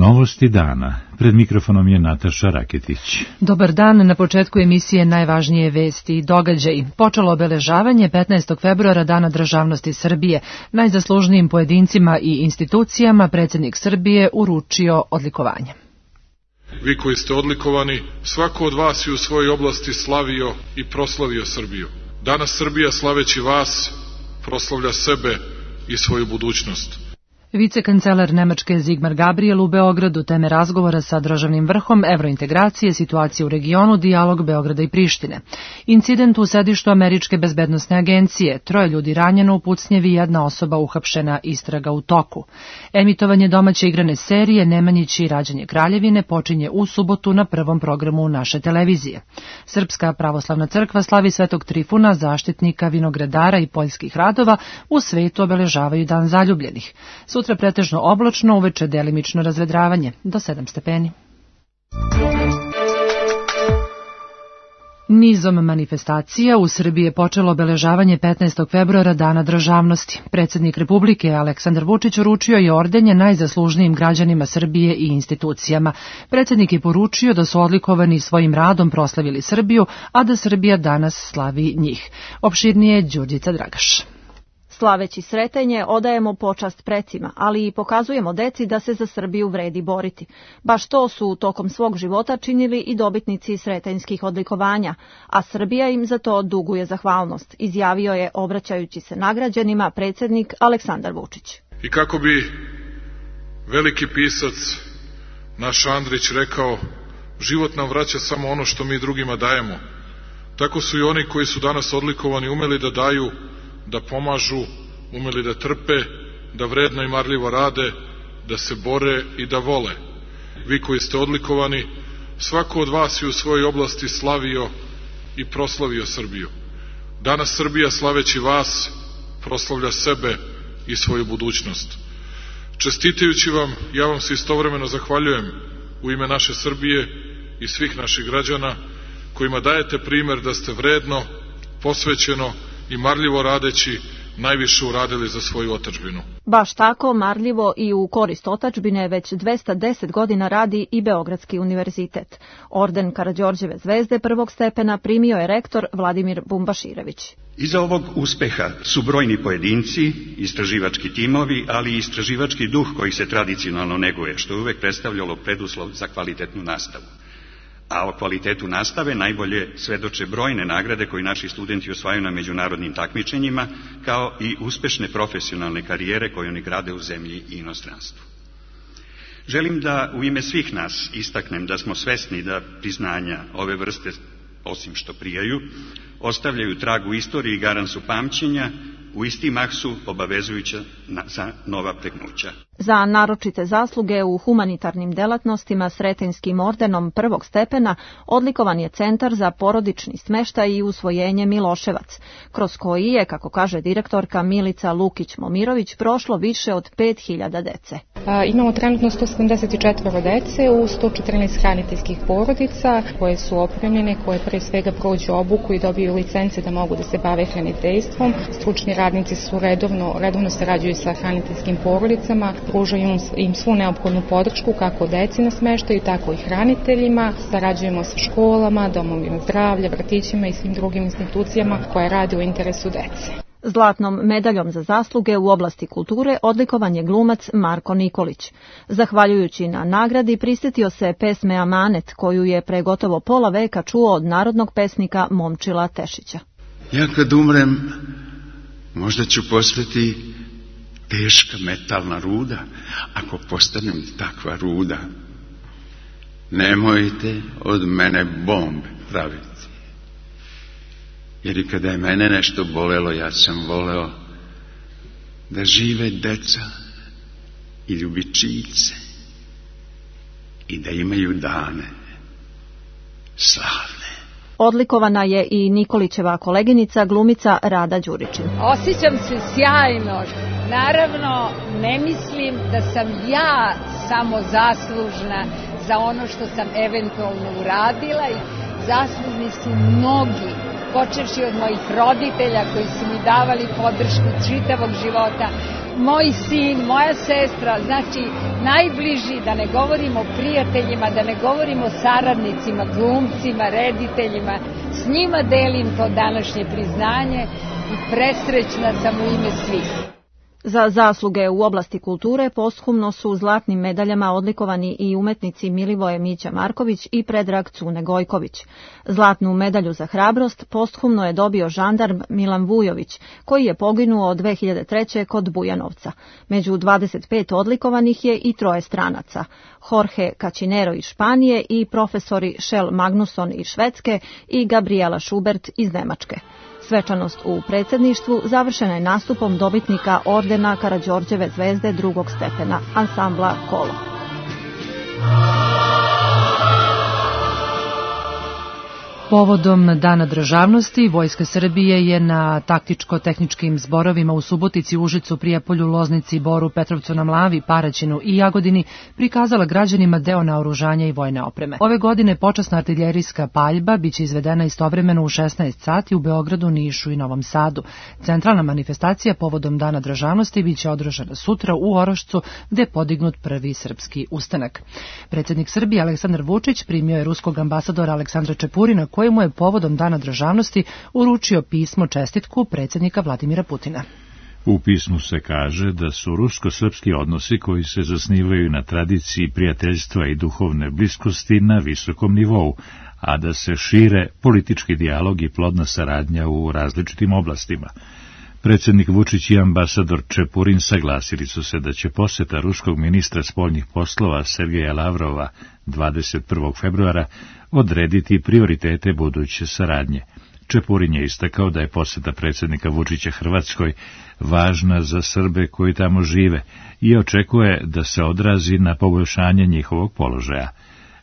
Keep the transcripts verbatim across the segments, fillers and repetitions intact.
Novosti dana. Pred mikrofonom je Nataša Raketić. Dobar dan, na početku emisije najvažnije vesti i događaji. Počelo obeležavanje petnaestog februara Dana državnosti Srbije. Najzaslužnijim pojedincima i institucijama predsjednik Srbije uručio odlikovanje. Vi koji ste odlikovani, svako od vas je u svojoj oblasti slavio i proslavio Srbiju. Danas Srbija, slaveći vas, proslavlja sebe i svoju budućnost. Vicekancelar Nemačke Sigmar Gabriel u Beogradu, teme razgovora sa državnim vrhom, evrointegracije, situacije u regionu, dijalog Beograda i Prištine. Incident u sedištu Američke bezbednosne agencije, troje ljudi ranjeno u pucnjevi, jedna osoba uhapšena, istraga u toku. Emitovanje domaće igrane serije Nemanjići i rađanje kraljevine počinje u subotu na prvom programu naše televizije. Srpska pravoslavna crkva slavi Svetog Trifuna, zaštitnika vinogradara i poljskih radova, u svetu obeležavaju Dan zaljubljenih. Sutra pretežno oblačno, uveče delimično razvedravanje, do sedam stepeni. Nizom manifestacija u Srbiji je počelo obeležavanje petnaestog februara Dana državnosti. Predsjednik Republike Aleksandar Vučić uručio je ordenje najzaslužnijim građanima Srbije i institucijama. Predsjednik je poručio da su odlikovani svojim radom proslavili Srbiju, a da Srbija danas slavi njih. Opširnije Đurđica Dragaš. Slaveći Sretenje odajemo počast precima, ali i pokazujemo deci da se za Srbiju vredi boriti. Baš to su tokom svog života činili i dobitnici sretenjskih odlikovanja, a Srbija im za to duguje zahvalnost, izjavio je obraćajući se nagrađenima predsjednik Aleksandar Vučić. I kako bi veliki pisac naš Andrić rekao, život nam vraća samo ono što mi drugima dajemo. Tako su i oni koji su danas odlikovani umeli da daju, da pomažu, umeli da trpe, da vredno i marljivo rade, da se bore i da vole. Vi koji ste odlikovani, svako od vas je u svojoj oblasti slavio i proslavio Srbiju. Danas Srbija, slaveći vas, proslavlja sebe i svoju budućnost. Čestitajući vam, ja vam se istovremeno zahvaljujem u ime naše Srbije i svih naših građana, kojima dajete primer da ste vredno, posvećeno i marljivo radeći najviše uradili za svoju otadžbinu. Baš tako marljivo i u korist otadžbine već dvesta deset godina radi i Beogradski univerzitet. Orden Karađorđeve zvezde prvog stepena primio je rektor Vladimir Bumbaširević. Iza ovog uspeha su brojni pojedinci, istraživački timovi, ali i istraživački duh koji se tradicionalno neguje, što je uvek predstavljalo preduslov za kvalitetnu nastavu. A o kvalitetu nastave najbolje svedoče brojne nagrade koje naši studenti osvajaju na međunarodnim takmičenjima, kao i uspešne profesionalne karijere koje oni grade u zemlji i inostranstvu. Želim da u ime svih nas istaknem da smo svesni da priznanja ove vrste, osim što prijaju, ostavljaju trag u istoriji i garan su pamćenja, u isti mah su obavezujuća za nova pregnuća. Za naročite zasluge u humanitarnim delatnostima Sretenjskim ordenom prvog stepena odlikovan je Centar za porodični smeštaj i usvojenje Miloševac, kroz koji je, kako kaže direktorka Milica Lukić-Momirović, prošlo više od pet hiljada dece. A, imamo trenutno sto sedamdeset četiri dece u sto četrnaest hraniteljskih porodica koje su opremljene, koje pre svega prođu obuku i dobiju licence da mogu da se bave hraniteljstvom. Stručni radnici su redovno, redovno sarađuju sa hraniteljskim porodicama, pružaju im svu neophodnu podršku kako deci na smeštaju, tako i hraniteljima. Sarađujemo sa školama, domovima zdravlja, vrtićima i svim drugim institucijama koje rade u interesu dece. Zlatnom medaljom za zasluge u oblasti kulture odlikovan je glumac Marko Nikolić. Zahvaljujući na nagradi prisjetio se pesme Amanet, koju je pre gotovo pola veka čuo od narodnog pesnika Momčila Tešića. Ja kad umrem, možda ću postati teška metalna ruda, ako postanem takva ruda. Nemojte od mene bombe praviti. Jer i kada je mene nešto bolelo, ja sam voleo da žive deca i ljubičice i da imaju dane slavne. Odlikovana je i Nikolićeva koleginica, glumica Rada Đuričin. Osjećam se sjajno. Naravno, ne mislim da sam ja samo zaslužna za ono što sam eventualno uradila i zaslužni su mnogi, počevši od mojih roditelja koji su mi davali podršku čitavog života, moj sin, moja sestra, znači najbliži, da ne govorimo o prijateljima, da ne govorimo o saradnicima, glumcima, rediteljima. S njima delim to današnje priznanje i presrećna sam u ime svih. Za zasluge u oblasti kulture posthumno su zlatnim medaljama odlikovani i umetnici Milivoje Mića Marković i Predrag Cune Gojković. Zlatnu medalju za hrabrost posthumno je dobio žandarm Milan Vujović, koji je poginuo dve hiljade treće. kod Bujanovca. Među dvadeset pet odlikovanih je i troje stranaca, Jorge Cacinero iz Španije i profesori Shell Magnusson iz Švedske i Gabriela Schubert iz Nemačke. Svečanost u predsjedništvu završena je nastupom dobitnika ordena Karađorđeve zvezde drugog stepena, ansambla Kolo. Povodom Dana državnosti, Vojska Srbije je na taktičko-tehničkim zborovima u Subotici, Užicu, Prijepolju, Loznici, Boru, Petrovcu na Mlavi, Paraćinu i Jagodini prikazala građanima deo naoružanja i vojne opreme. Ove godine počasna artiljerijska paljba biće izvedena istovremeno u šesnaest sati u Beogradu, Nišu i Novom Sadu. Centralna manifestacija povodom Dana državnosti biće održana sutra u Orošcu, gde je podignut prvi srpski ustanak. Predsjednik Srbije Aleksandar Vučić primio je ruskog ambasadora Aleksandra Čepurina, kojemu je povodom Dana državnosti uručio pismo čestitku predsjednika Vladimira Putina. U pismu se kaže da su rusko-srpski odnosi koji se zasnivaju na tradiciji prijateljstva i duhovne bliskosti na visokom nivou, a da se šire politički dijalog i plodna saradnja u različitim oblastima. Predsjednik Vučić i ambasador Čepurin saglasili su se da će poseta ruskog ministra spoljnih poslova Sergeja Lavrova dvadeset prvog februara odrediti prioritete buduće saradnje. Čepurin je istakao da je poseta predsjednika Vučića Hrvatskoj važna za Srbe koji tamo žive i očekuje da se odrazi na poboljšanje njihovog položaja.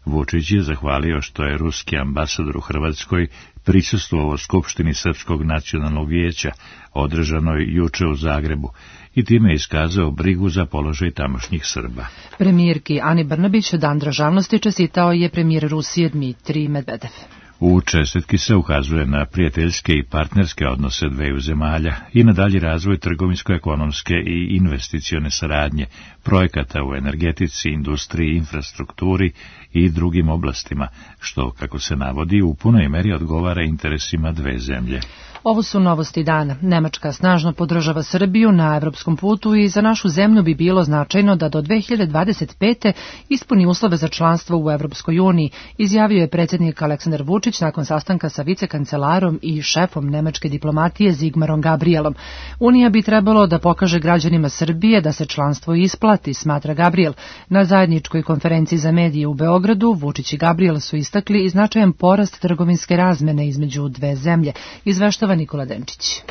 Vučić je zahvalio što je ruski ambasador u Hrvatskoj prisustvovao Skupštini Srpskog nacionalnog vijeća, održanoj juče u Zagrebu, i time je iskazao brigu za položaj tamošnjih Srba. Premijerki Ani Brnabić Dan državnosti čestitao je premijer Rusije Dmitrij Medvedev. U čestitki se ukazuje na prijateljske i partnerske odnose dveju zemalja i na dalji razvoj trgovinsko-ekonomske i investicione saradnje, projekata u energetici, industriji, infrastrukturi i drugim oblastima, što, kako se navodi, u punoj meri odgovara interesima dve zemlje. Ovo su novosti dana. Nemačka snažno podržava Srbiju na evropskom putu i za našu zemlju bi bilo značajno da do dve hiljade dvadeset pete ispuni uslove za članstvo u Evropskoj uniji, izjavio je predsjednik Aleksandar Vučić nakon sastanka sa vicekancelarom i šefom nemačke diplomatije Zigmarom Gabrielom. Unija bi trebalo da pokaže građanima Srbije da se članstvo isplati, smatra Gabriel. Na zajedničkoj konferenciji za medije u Beogradu Vučić i Gabriel su istakli i značajan porast trgovinske razmene između dve zemlje, izveštava Nikola Denčić.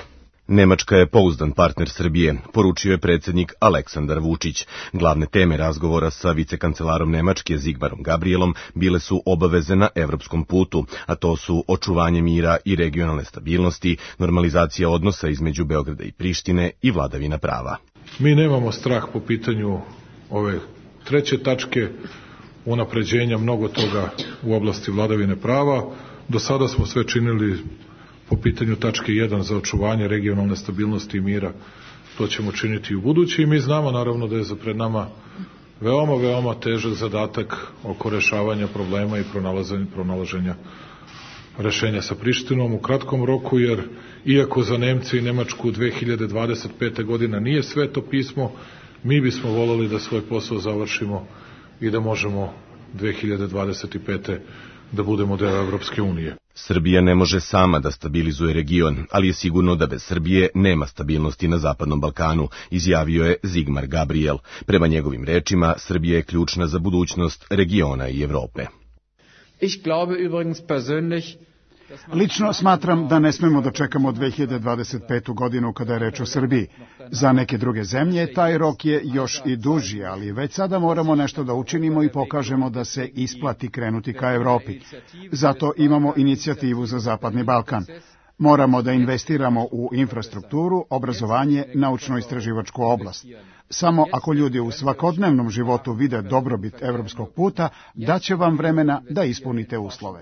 Nemačka je pouzdan partner Srbije, poručio je predsjednik Aleksandar Vučić. Glavne teme razgovora sa vicekancelarom Nemačke Zigmarom Gabrielom bile su obaveze na evropskom putu, a to su očuvanje mira i regionalne stabilnosti, normalizacija odnosa između Beograda i Prištine i vladavina prava. Mi nemamo strah po pitanju ove treće tačke, unapređenja mnogo toga u oblasti vladavine prava. Do sada smo sve činili po pitanju tačke jedan za očuvanje regionalne stabilnosti i mira. To ćemo činiti i u budući i mi znamo naravno da je za pred nama veoma, veoma težak zadatak oko rešavanja problema i pronalaženja, pronalaženja rešenja sa Prištinom u kratkom roku, jer iako za Nemce i Nemačku dve hiljade dvadeset pete godina nije sveto pismo, mi bismo voleli da svoj posao završimo i da možemo dve hiljade dvadeset pete da budemo deo Evropske unije. Srbija ne može sama da stabilizuje region, ali je sigurno da bez Srbije nema stabilnosti na Zapadnom Balkanu, izjavio je Zigmar Gabriel. Prema njegovim rečima, Srbija je ključna za budućnost regiona i Evrope. Ich glaube übrigens persönlich, Lično smatram da ne smemo da čekamo dve hiljade dvadeset petu godinu kada je reč o Srbiji. Za neke druge zemlje taj rok je još i duži, ali već sada moramo nešto da učinimo i pokažemo da se isplati krenuti ka Evropi. Zato imamo inicijativu za Zapadni Balkan. Moramo da investiramo u infrastrukturu, obrazovanje, naučno-istraživačku oblast. Samo ako ljudi u svakodnevnom životu vide dobrobit evropskog puta, daće vam vremena da ispunite uslove.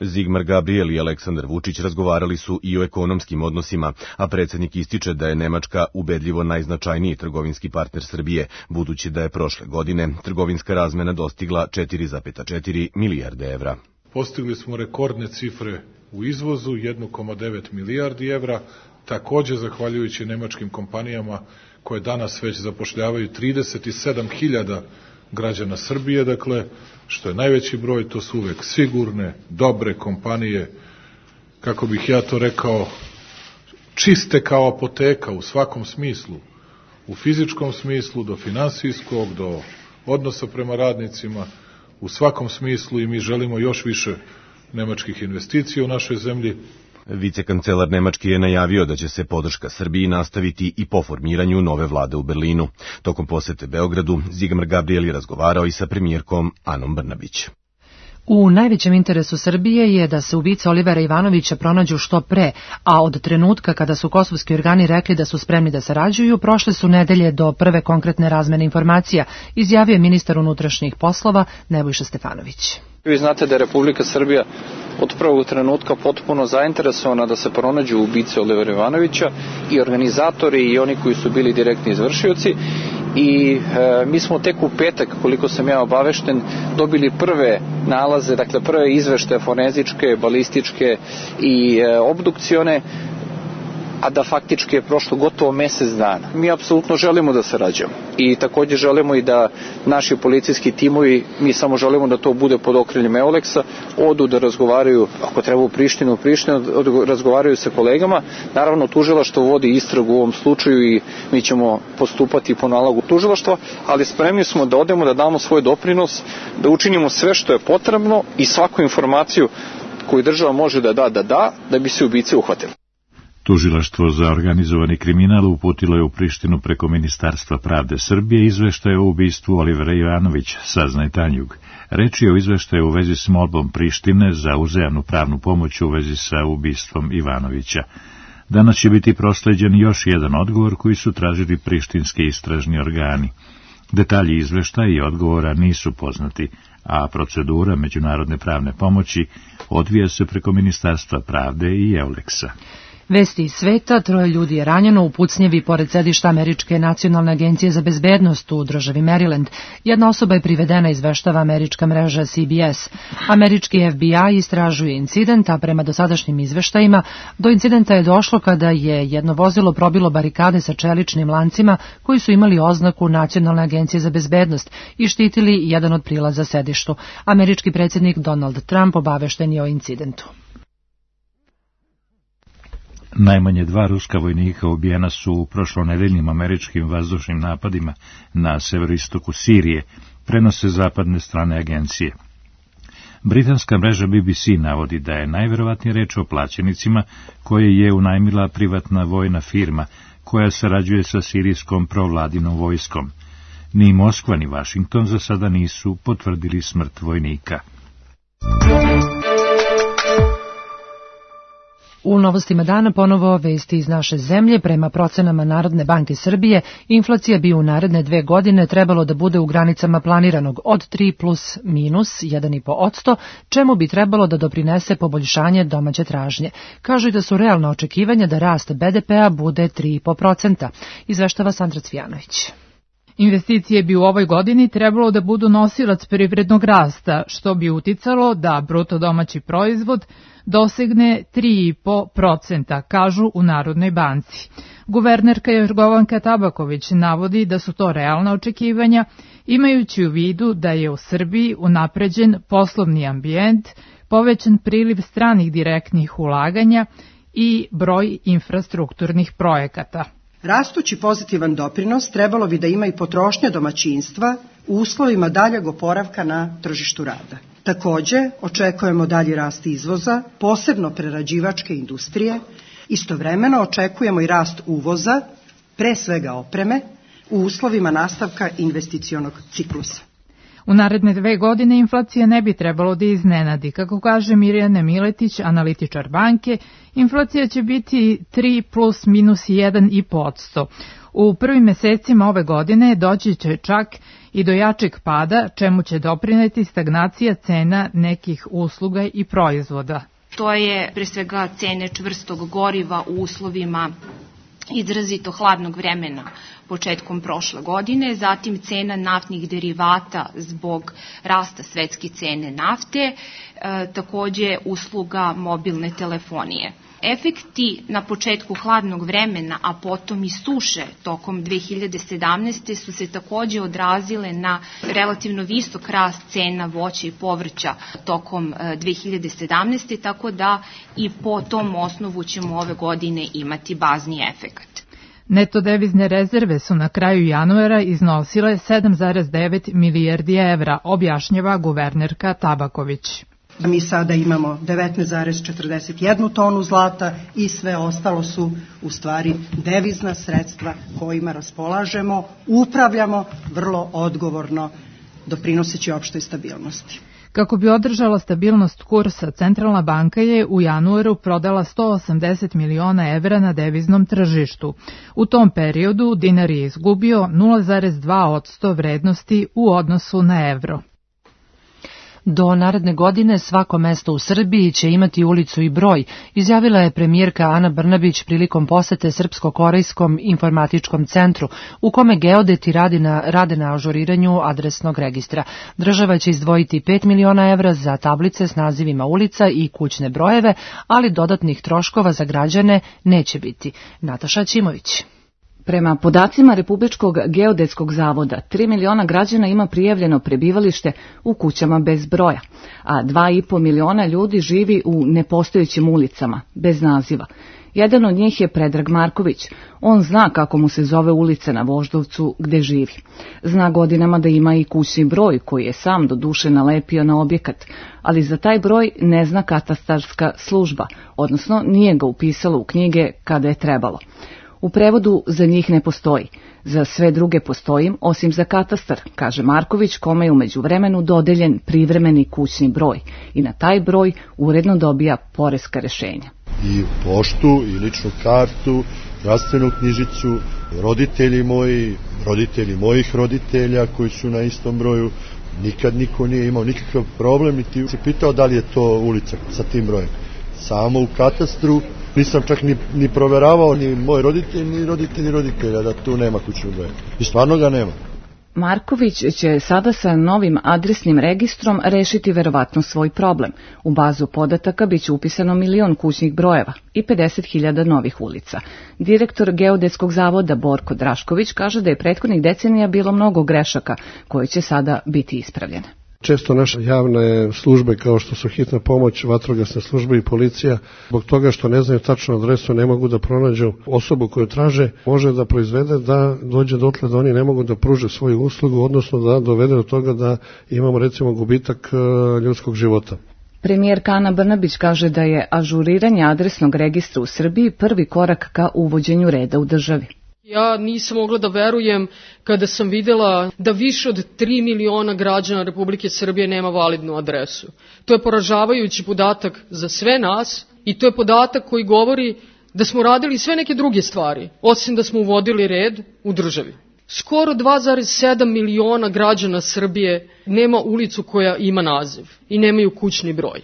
Zigmar Gabriel i Aleksandar Vučić razgovarali su i o ekonomskim odnosima, a predsjednik ističe da je Nemačka ubedljivo najznačajniji trgovinski partner Srbije, budući da je prošle godine trgovinska razmena dostigla četiri zarez četiri milijarde evra. Postigli smo rekordne cifre u izvozu, jedan zarez devet milijardi evra, takođe zahvaljujući nemačkim kompanijama koje danas već zapošljavaju trideset sedam hiljada građana Srbije, dakle, što je najveći broj, to su uvek sigurne, dobre kompanije, kako bih ja to rekao, čiste kao apoteka u svakom smislu, u fizičkom smislu, do finansijskog, do odnosa prema radnicima, u svakom smislu, i mi želimo još više nemačkih investicija u našoj zemlji. Vicekancelar Nemačke je najavio da će se podrška Srbiji nastaviti i po formiranju nove vlade u Berlinu. Tokom posete Beogradu, Zigmar Gabriel je razgovarao i sa premijerkom Anom Brnabić. U najvećem interesu Srbije je da se ubice Olivera Ivanovića pronađu što pre, a od trenutka kada su kosovski organi rekli da su spremni da sarađuju, prošle su nedelje do prve konkretne razmene informacija, izjavio je ministar unutrašnjih poslova Nebojša Stefanović. Vi znate da je Republika Srbija od prvog trenutka potpuno zainteresovana da se pronađu ubice Olivera Ivanovića, i organizatori i oni koji su bili direktni izvršioci, i e, mi smo tek u petak, koliko sam ja obavešten, dobili prve nalaze, dakle prve izveštaje forenzičke, balističke i e, obdukcione, a da faktički je prošlo gotovo mesec dana. Mi apsolutno želimo da sarađujemo i također želimo i da naši policijski timovi, mi samo želimo da to bude pod okriljem Euleksa, odu da razgovaraju, ako treba u Prištinu, u Prištinu, razgovaraju sa kolegama. Naravno, tužilaštvo vodi istragu u ovom slučaju i mi ćemo postupati po nalogu tužilaštva, ali spremni smo da odemo, da damo svoj doprinos, da učinimo sve što je potrebno i svaku informaciju koju država može da da, da da, da bi se ubice uhvatili. Tužilaštvo za organizovani kriminal uputilo je u Prištinu preko Ministarstva pravde Srbije izveštaje o ubistvu Olivera Ivanovića, saznaje Tanjug. Reč je o izveštaju u vezi s molbom Prištine za uzajamnu pravnu pomoć u vezi sa ubistvom Ivanovića. Danas će biti prosleđen još jedan odgovor koji su tražili prištinski istražni organi. Detalji izveštaja i odgovora nisu poznati, a procedura međunarodne pravne pomoći odvija se preko Ministarstva pravde i Euleksa. Vesti iz sveta, troje ljudi je ranjeno u pucnjevi pored sedišta Američke nacionalne agencije za bezbednost u državi Maryland. Jedna osoba je privedena, izveštava američka mreža C B S. Američki F B I istražuje incident, a prema dosadašnjim izveštajima do incidenta je došlo kada je jedno vozilo probilo barikade sa čeličnim lancima koji su imali oznaku Nacionalne agencije za bezbednost i štitili jedan od prilaza sedištu. Američki predsjednik Donald Trump obavešten je o incidentu. Najmanje dva ruska vojnika ubijena su u prošlonedeljnim američkim vazdušnim napadima na severoistoku Sirije, prenose zapadne strane agencije. Britanska mreža B B C navodi da je najverovatnije reč o plaćenicima koje je unajmila privatna vojna firma koja sarađuje sa sirijskom provladinom vojskom. Ni Moskva ni Vašington za sada nisu potvrdili smrt vojnika. U novostima dana ponovo vesti iz naše zemlje. Prema procenama Narodne banke Srbije, inflacija bi u naredne dve godine trebalo da bude u granicama planiranog od tri plus minus jedan zarez pet posto, čemu bi trebalo da doprinese poboljšanje domaće tražnje. Kažu i da su realna očekivanja da rast B D P-a bude tri zarez pet posto, izveštava Sandra Cvijanović. Investicije bi u ovoj godini trebalo da budu nosilac privrednog rasta, što bi uticalo da bruto domaći proizvod dosegne tri zarez pet posto, kažu u Narodnoj banci. Guvernerka Jorgovanka Tabaković navodi da su to realna očekivanja, imajući u vidu da je u Srbiji unapređen poslovni ambijent, povećan priliv stranih direktnih ulaganja i broj infrastrukturnih projekata. Rastući pozitivan doprinos trebalo bi da ima i potrošnja domaćinstva u uslovima daljeg oporavka na tržištu rada. Takođe, očekujemo dalji rast izvoza, posebno prerađivačke industrije. Istovremeno očekujemo i rast uvoza, pre svega opreme, u uslovima nastavka investicionog ciklusa. U naredne dve godine inflacija ne bi trebalo da iznenadi. Kako kaže Mirjana Miletić, analitičar banke, inflacija će biti tri plus minus jedan i po posto. U prvim mesecima ove godine doći će čak i do jačeg pada, čemu će doprineti stagnacija cena nekih usluga i proizvoda. To je pre svega cene čvrstog goriva u uslovima izrazito hladnog vremena početkom prošle godine, zatim cena naftnih derivata zbog rasta svetske cene nafte, e, takođe usluga mobilne telefonije. Efekti na početku hladnog vremena, a potom i suše tokom dve hiljade sedamnaeste. su se takođe odrazile na relativno visok rast cena voća i povrća tokom dve hiljade sedamnaeste. tako da i po tom osnovu ćemo ove godine imati bazni efekat. Neto devizne rezerve su na kraju januara iznosile sedam zarez devet milijardi evra, objašnjava guvernerka Tabaković. Mi sada imamo devetnaest zarez četrdeset jednu tonu zlata i sve ostalo su u stvari devizna sredstva kojima raspolažemo, upravljamo vrlo odgovorno, doprinoseći opštoj stabilnosti. Kako bi održala stabilnost kursa, Centralna banka je u januaru prodala sto osamdeset miliona evra na deviznom tržištu. U tom periodu dinar je izgubio nula zarez dva posto vrednosti u odnosu na evro. Do naredne godine svako mesto u Srbiji će imati ulicu i broj, izjavila je premijerka Ana Brnabić prilikom posete Srpsko-korejskom informatičkom centru, u kome geodeti radi na, rade na ažuriranju adresnog registra. Država će izdvojiti pet miliona evra za tablice s nazivima ulica i kućne brojeve, ali dodatnih troškova za građane neće biti. Nataša Ćimović. Prema podacima Republičkog geodetskog zavoda, tri miliona građana ima prijavljeno prebivalište u kućama bez broja, a dva i po miliona ljudi živi u nepostojećim ulicama, bez naziva. Jedan od njih je Predrag Marković. On zna kako mu se zove ulica na Voždovcu gde živi. Zna godinama da ima i kućni broj koji je sam do duše nalepio na objekat, ali za taj broj ne zna katastarska služba, odnosno nije ga upisala u knjige kada je trebalo. U prevodu za njih ne postoji. Za sve druge postoji, osim za katastar, kaže Marković, kome je u međuvremenu dodeljen privremeni kućni broj i na taj broj uredno dobija poreska rešenja. I poštu, i ličnu kartu, zdravstvenu knjižicu, roditelji moji, roditelji mojih roditelja koji su na istom broju, nikad niko nije imao nikakav problem i ti se pitao da li je to ulica sa tim brojem. Samo u katastru nisam čak ni, ni proveravao ni moj roditelj, ni roditelji roditelja da tu nema kućnog broja. I stvarno ga nema. Marković će sada sa novim adresnim registrom rešiti verovatno svoj problem. U bazu podataka biće upisano milion kućnih brojeva i pedeset hiljada novih ulica. Direktor Geodetskog zavoda Borko Drašković kaže da je prethodnih decenija bilo mnogo grešaka koje će sada biti ispravljene. Često naše javne službe kao što su hitna pomoć, vatrogasne službe i policija, zbog toga što ne znaju tačnu adresu, ne mogu da pronađu osobu koju traže, može da proizvede da dođe dotle da oni ne mogu da pruže svoju uslugu, odnosno da dovede do toga da imamo recimo gubitak ljudskog života. Premijerka Ana Brnabić kaže da je ažuriranje adresnog registra u Srbiji prvi korak ka uvođenju reda u državi. Ja nisam mogla da verujem kada sam videla da više od tri miliona građana Republike Srbije nema validnu adresu. To je poražavajući podatak za sve nas i to je podatak koji govori da smo radili sve neke druge stvari, osim da smo uvodili red u državi. Skoro dva zarez sedam miliona građana Srbije nema ulicu koja ima naziv i nemaju kućni broj.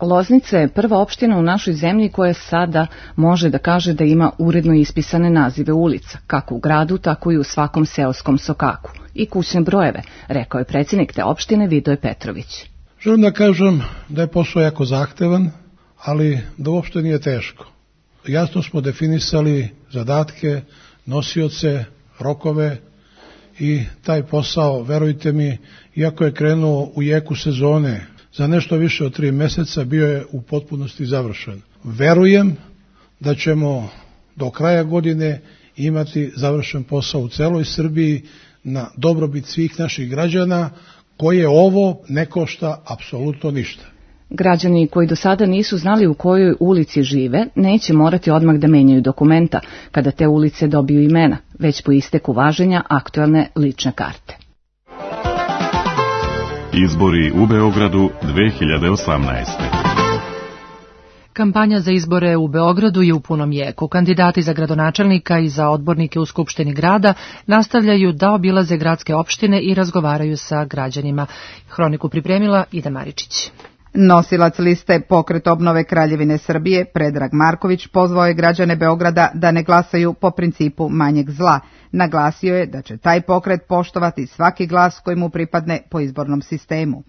Loznica je prva opština u našoj zemlji koja sada može da kaže da ima uredno ispisane nazive ulica, kako u gradu, tako i u svakom seoskom sokaku, i kućne brojeve, rekao je predsjednik te opštine Vidoje Petrović. Želim da kažem da je posao jako zahtevan, ali da uopšte nije teško. Jasno smo definisali zadatke, nosioce, rokove i taj posao, verujte mi, iako je krenuo u jeku sezone, za nešto više od tri meseca bio je u potpunosti završen. Verujem da ćemo do kraja godine imati završen posao u celoj Srbiji na dobrobit svih naših građana, koje ovo ne košta apsolutno ništa. Građani koji do sada nisu znali u kojoj ulici žive, neće morati odmah da menjaju dokumenta kada te ulice dobiju imena, već po isteku važenja aktuelne lične karte. Izbori u Beogradu dve hiljade osamnaeste. Kampanja za izbore u Beogradu je u punom jeku. Kandidati za gradonačelnika i za odbornike u Skupštini grada nastavljaju da obilaze gradske opštine i razgovaraju sa građanima. Hroniku pripremila Ida Maričić. Nosilac liste Pokret obnove Kraljevine Srbije, Predrag Marković, pozvao je građane Beograda da ne glasaju po principu manjeg zla. Naglasio je da će taj pokret poštovati svaki glas koji mu pripadne po izbornom sistemu.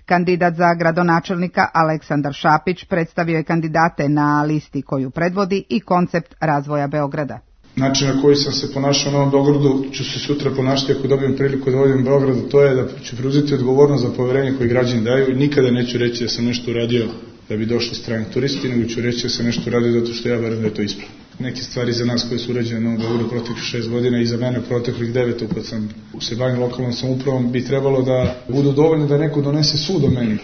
Kandidat za gradonačelnika Aleksandar Šapić predstavio je kandidate na listi koju predvodi i koncept razvoja Beograda. Način na koji sam se ponašao na ovom Beogradu ću se sutra ponašati ako dobijem priliku da vodim Beogradu, to je da ću preuzeti odgovornost za poverenje koje građani daju i nikada neću reći da sam nešto uradio da bi došli strani turisti, nego ću reći da sam nešto uradio zato što ja verujem da je to ispravno. Neke stvari za nas koje su urađene na ovom Beogradu proteklih šest godina i za mene proteklih devet, kad sam se bavio lokalnom samoupravom, bi trebalo da budu dovoljne da neko donese sud o meni.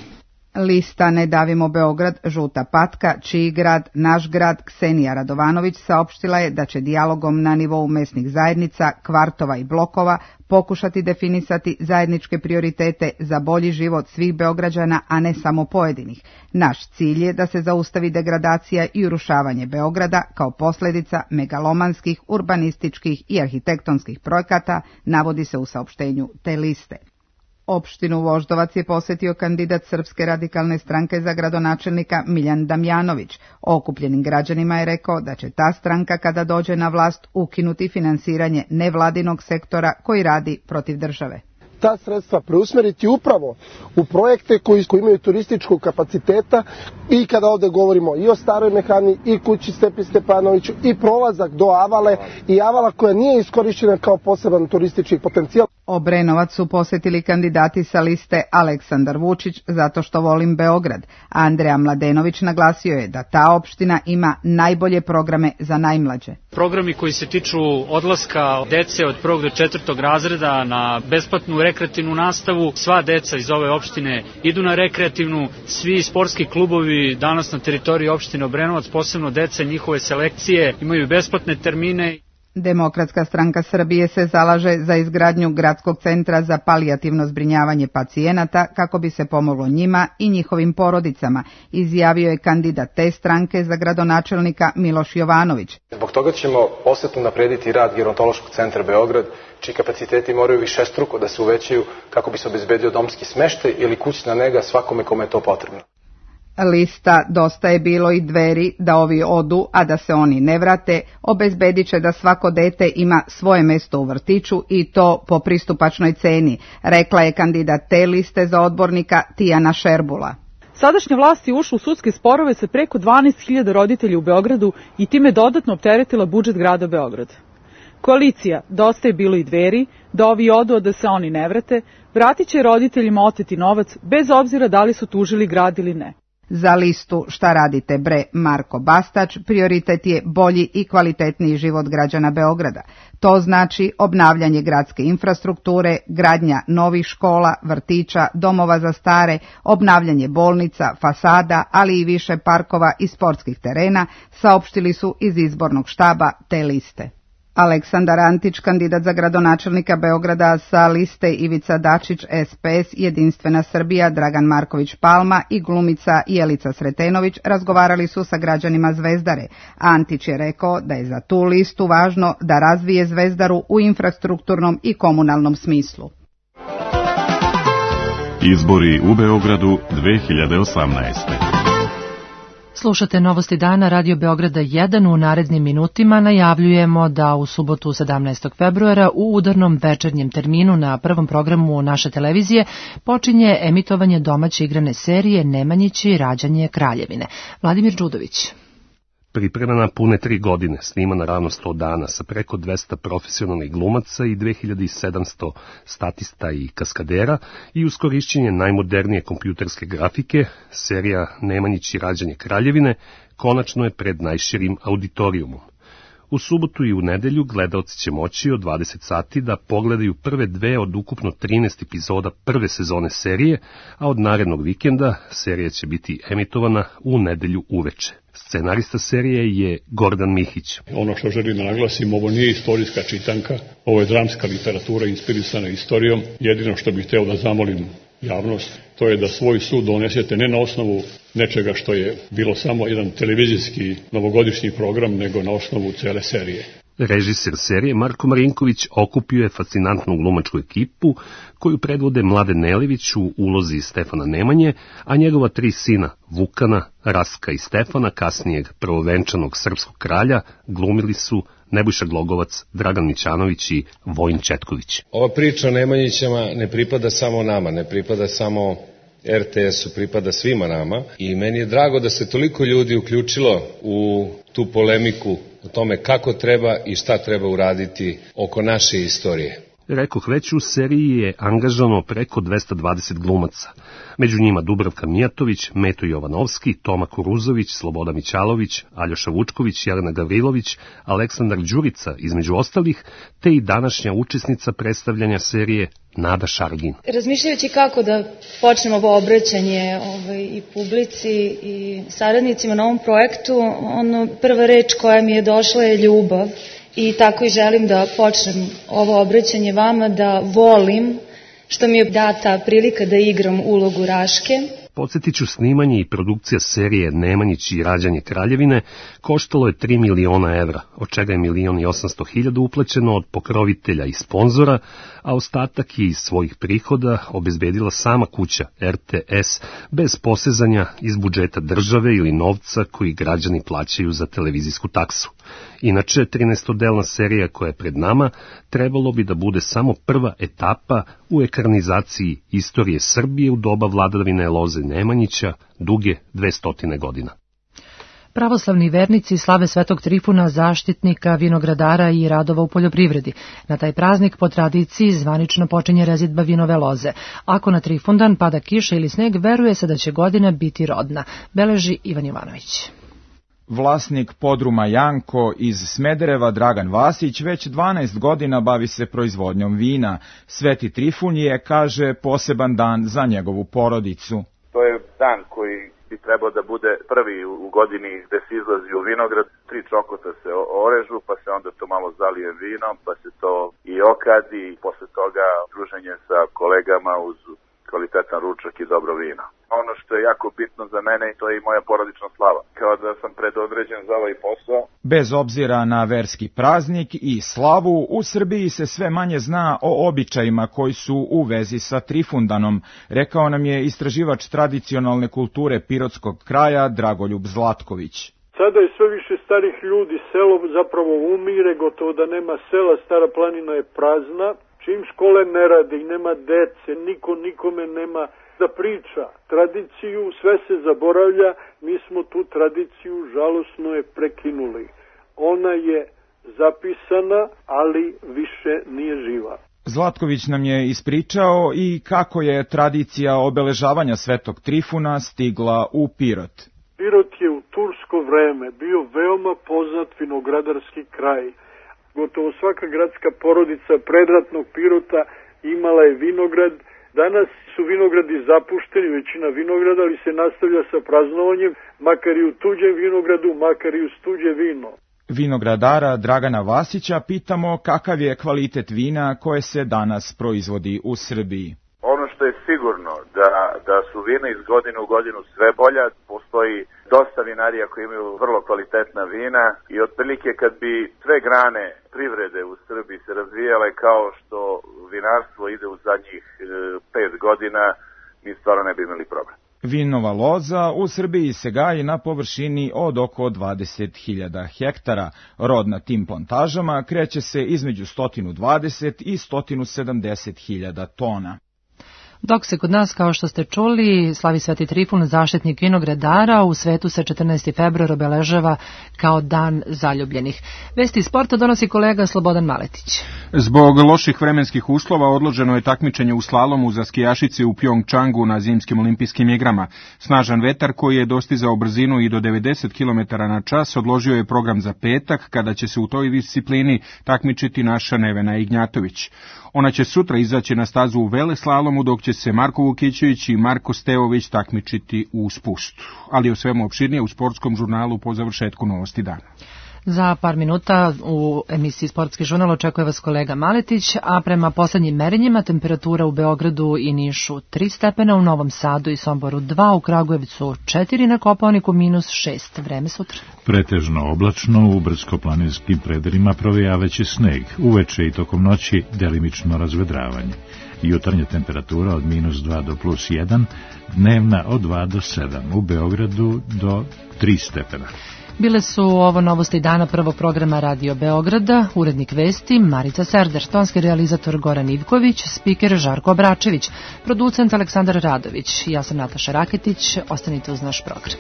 Lista Ne davimo Beograd, Žuta patka, Čiji grad, Naš grad, Ksenija Radovanović saopštila je da će dijalogom na nivou mesnih zajednica, kvartova i blokova pokušati definisati zajedničke prioritete za bolji život svih Beograđana, a ne samo pojedinih. Naš cilj je da se zaustavi degradacija i urušavanje Beograda kao posljedica megalomanskih, urbanističkih i arhitektonskih projekata, navodi se u saopštenju te liste. Opštinu Voždovac je posjetio kandidat Srpske radikalne stranke za gradonačelnika Miljan Damjanović. Okupljenim građanima je rekao da će ta stranka kada dođe na vlast ukinuti finansiranje nevladinog sektora koji radi protiv države. Ta sredstva preusmeriti upravo u projekte koji, koji imaju turističkog kapaciteta i kada ovde govorimo i o Staroj Mehani i kući Stepi Stepanoviću i prolazak do Avale i Avala koja nije iskorišćena kao poseban turistički potencijal. Obrenovac su posjetili kandidati sa liste Aleksandar Vučić zato što volim Beograd. Andreja Mladenović naglasio je da ta opština ima najbolje programe za najmlađe. Programi koji se tiču odlaska dece od prvog do četvrtog razreda na besplatnu rekreativnu nastavu. Sva deca iz ove opštine idu na rekreativnu, svi sportski klubovi danas na teritoriji opštine Obrenovac, posebno deca njihove selekcije, imaju besplatne termine. Demokratska stranka Srbije se zalaže za izgradnju gradskog centra za palijativno zbrinjavanje pacijenata kako bi se pomoglo njima i njihovim porodicama, izjavio je kandidat te stranke za gradonačelnika Miloš Jovanović. Zbog toga ćemo posebno naprediti rad Gerontološkog centra Beograd, čiji kapaciteti moraju višestruko da se uvećaju kako bi se obezbedio domski smeštaj ili kućna nega svakome kome je to potrebno. Lista Dosta je bilo i Dveri da ovi odu, a da se oni ne vrate, obezbedit će da svako dete ima svoje mesto u vrtiću i to po pristupačnoj ceni, rekla je kandidat te liste za odbornika Tijana Šerbula. Sadašnja vlast je ušla u sudske sporove sa preko dvanaest hiljada roditelja u Beogradu i time dodatno opteretila budžet grada Beograda. Koalicija Dosta je bilo i Dveri da ovi odu, a da se oni ne vrate, vratit će roditeljima oteti novac bez obzira da li su tužili grad ili ne. Za listu Šta radite bre Marko Bastać prioritet je bolji i kvalitetniji život građana Beograda. To znači obnavljanje gradske infrastrukture, gradnja novih škola, vrtića, domova za stare, obnavljanje bolnica, fasada, ali i više parkova i sportskih terena, saopštili su iz izbornog štaba te liste. Aleksandar Antić, kandidat za gradonačelnika Beograda sa liste Ivica Dačić, S P S, Jedinstvena Srbija, Dragan Marković Palma i glumica Jelica Sretenović razgovarali su sa građanima Zvezdare. Antić je rekao da je za tu listu važno da razvije Zvezdaru u infrastrukturnom i komunalnom smislu. Izbori u Beogradu dve hiljade osamnaeste. Slušate Novosti dana Radio Beograda jedan. U narednim minutima najavljujemo da u subotu sedamnaestog februara u udarnom večernjem terminu na prvom programu naše televizije počinje emitovanje domaće igrane serije Nemanjići rađanje Kraljevine. Vladimir Đudović. Pripremana pune tri godine, snimana ravno sto dana sa preko dvesta profesionalnih glumaca i dve hiljade sedamsto statista i kaskadera i uz korišćenje najmodernije kompjuterske grafike, serija Nemanjići rađanje Kraljevine konačno je pred najširim auditorijumom. U subotu i u nedelju gledaoci će moći od dvadeset sati da pogledaju prve dve od ukupno trinaest epizoda prve sezone serije, a od narednog vikenda serija će biti emitovana u nedelju uveče. Scenarista serije je Gordan Mihić. Ono što želim da naglasim, ovo nije istorijska čitanka, ovo je dramska literatura inspirisana istorijom. Jedino što bih hteo da zamolim javnost, to je da svoj sud donesete ne na osnovu nečega što je bilo samo jedan televizijski novogodišnji program, nego na osnovu cele serije. Režiser serije Marko Marinković okupio je fascinantnu glumačku ekipu koju predvode Mladen Nelević u ulozi Stefana Nemanje, a njegova tri sina Vukana, Rastka i Stefana, kasnijeg prvovenčanog srpskog kralja, glumili su Nebojša Glogovac, Dragan Mićanović i Vojin Četković. Ova priča o Nemanjićama ne pripada samo nama, ne pripada samo er te esu, pripada svima nama i meni je drago da se toliko ljudi uključilo u tu polemiku o tome kako treba i šta treba uraditi oko naše istorije. Rekoh već, u seriji je angažano preko dvesta dvadeset glumaca. Među njima Dubravka Mijatović, Meto Jovanovski, Toma Kuruzović, Sloboda Mićalović, Aljoša Vučković, Jelena Gavrilović, Aleksandar Đurica, između ostalih, te i današnja učesnica predstavljanja serije Nada Šargin. Razmišljajući kako da počnemo ovo obraćanje ovaj, i publici i saradnicima na ovom projektu, ono, prva reč koja mi je došla je ljubav. I tako i želim da počnem ovo obraćanje vama, da volim što mi je data prilika da igram ulogu Raške. Podsjetit ću, snimanje i produkcija serije Nemanjić i rađanje Kraljevine koštalo je tri miliona evra, od čega je milion i osamsto hiljada uplaćeno od pokrovitelja i sponzora, a ostatak je iz svojih prihoda obezbedila sama kuća er te es bez posezanja iz budžeta države ili novca koji građani plaćaju za televizijsku taksu. Inače, trinaestodelna serija koja je pred nama trebalo bi da bude samo prva etapa u ekranizaciji istorije Srbije u doba vladavine Loze Nemanjića, duge dvestotine godina. Pravoslavni vernici slave Svetog Trifuna, zaštitnika vinogradara i radova u poljoprivredi. Na taj praznik po tradiciji zvanično počinje rezidba vinove loze. Ako na Trifundan pada kiša ili sneg, veruje se da će godina biti rodna, beleži Ivan Jovanović. Vlasnik podruma Janko iz Smedereva Dragan Vasić već dvanaest godina bavi se proizvodnjom vina. Sveti Trifun je, kaže, poseban dan za njegovu porodicu. To je dan koji bi trebao da bude prvi u godini gde se izlazi u vinograd. Tri čokota se orežu, pa se onda to malo zalije vinom, pa se to i okadi, i posle toga druženje sa kolegama uz kvalitetan ručak i dobro vino. Ono što je jako bitno za mene, to je i moja porodična slava. Kao da sam predodređen za ovaj posao. Bez obzira na verski praznik i slavu, u Srbiji se sve manje zna o običajima koji su u vezi sa Trifundanom, rekao nam je istraživač tradicionalne kulture pirotskog kraja Dragoljub Zlatković. Sada je sve više starih ljudi, selo zapravo umire, gotovo da nema sela, Stara planina je prazna. Čim škole ne rade i nema dece, niko nikome nema da priča tradiciju, sve se zaboravlja, mi smo tu tradiciju žalosno je prekinuli. Ona je zapisana, ali više nije živa. Zlatković nam je ispričao i kako je tradicija obeležavanja Svetog Trifuna stigla u Pirot. Pirot je u tursko vreme bio veoma poznat vinogradarski kraj. Gotovo svaka gradska porodica predratnog Pirota imala je vinograd. Danas su vinogradi zapušteni, većina vinograda, ali se nastavlja sa praznovanjem, makar i u tuđem vinogradu, makar i uz tuđe vino. Vinogradara Dragana Vasića pitamo kakav je kvalitet vina koje se danas proizvodi u Srbiji. Ono što je sigurno da, da su vina iz godine u godinu sve bolja, postoji dosta vinarija koji imaju vrlo kvalitetna vina i otprilike kad bi sve grane privrede u Srbiji se razvijale kao što vinarstvo ide u zadnjih e, pet godina, mi stvarno ne bi imali problem. Vinova loza u Srbiji se gaji na površini od oko dvadeset hiljada hektara. Rod na tim plantažama kreće se između sto dvadeset i sto sedamdeset hiljada tona. Dok se kod nas, kao što ste čuli, slavi Sveti Trifun, zaštitnik vinogradara, u svetu se četrnaesti februar obeležava kao dan zaljubljenih. Vesti sporta donosi kolega Slobodan Maletić. Zbog loših vremenskih uslova odloženo je takmičenje u slalomu za skijašice u Pjongčangu na zimskim olimpijskim igrama. Snažan vetar koji je dostizao brzinu i do devedeset kilometara na čas odložio je program za petak, kada će se u toj disciplini takmičiti naša Nevena Ignjatović. Ona će sutra izaći na stazu u veleslalomu, dok će se Marko Vukićević i Marko Stevović takmičiti u spustu. Ali o svemu opširnije u sportskom žurnalu po završetku Novosti dana. Za par minuta u emisiji Sportski žurnal očekuje vas kolega Maletić, a prema poslednjim merenjima temperatura u Beogradu i Nišu tri stepena, u Novom Sadu i Somboru dva, u Kragujevcu četiri, na Kopaoniku minus šest. Vreme sutra. Pretežno oblačno, u brdsko-planinskim predelima provejavaće sneg, uveče i tokom noći delimično razvedravanje. Jutarnja temperatura od minus dva do plus jedan, dnevna od dva do sedam, u Beogradu do tri stepena. Bile su ovo novosti dana prvog programa Radio Beograda, urednik vesti Marica Serder, tonski realizator Goran Ivković, spiker Žarko Obračević, producent Aleksandar Radović. Ja sam Nataša Raketić, ostanite uz naš program.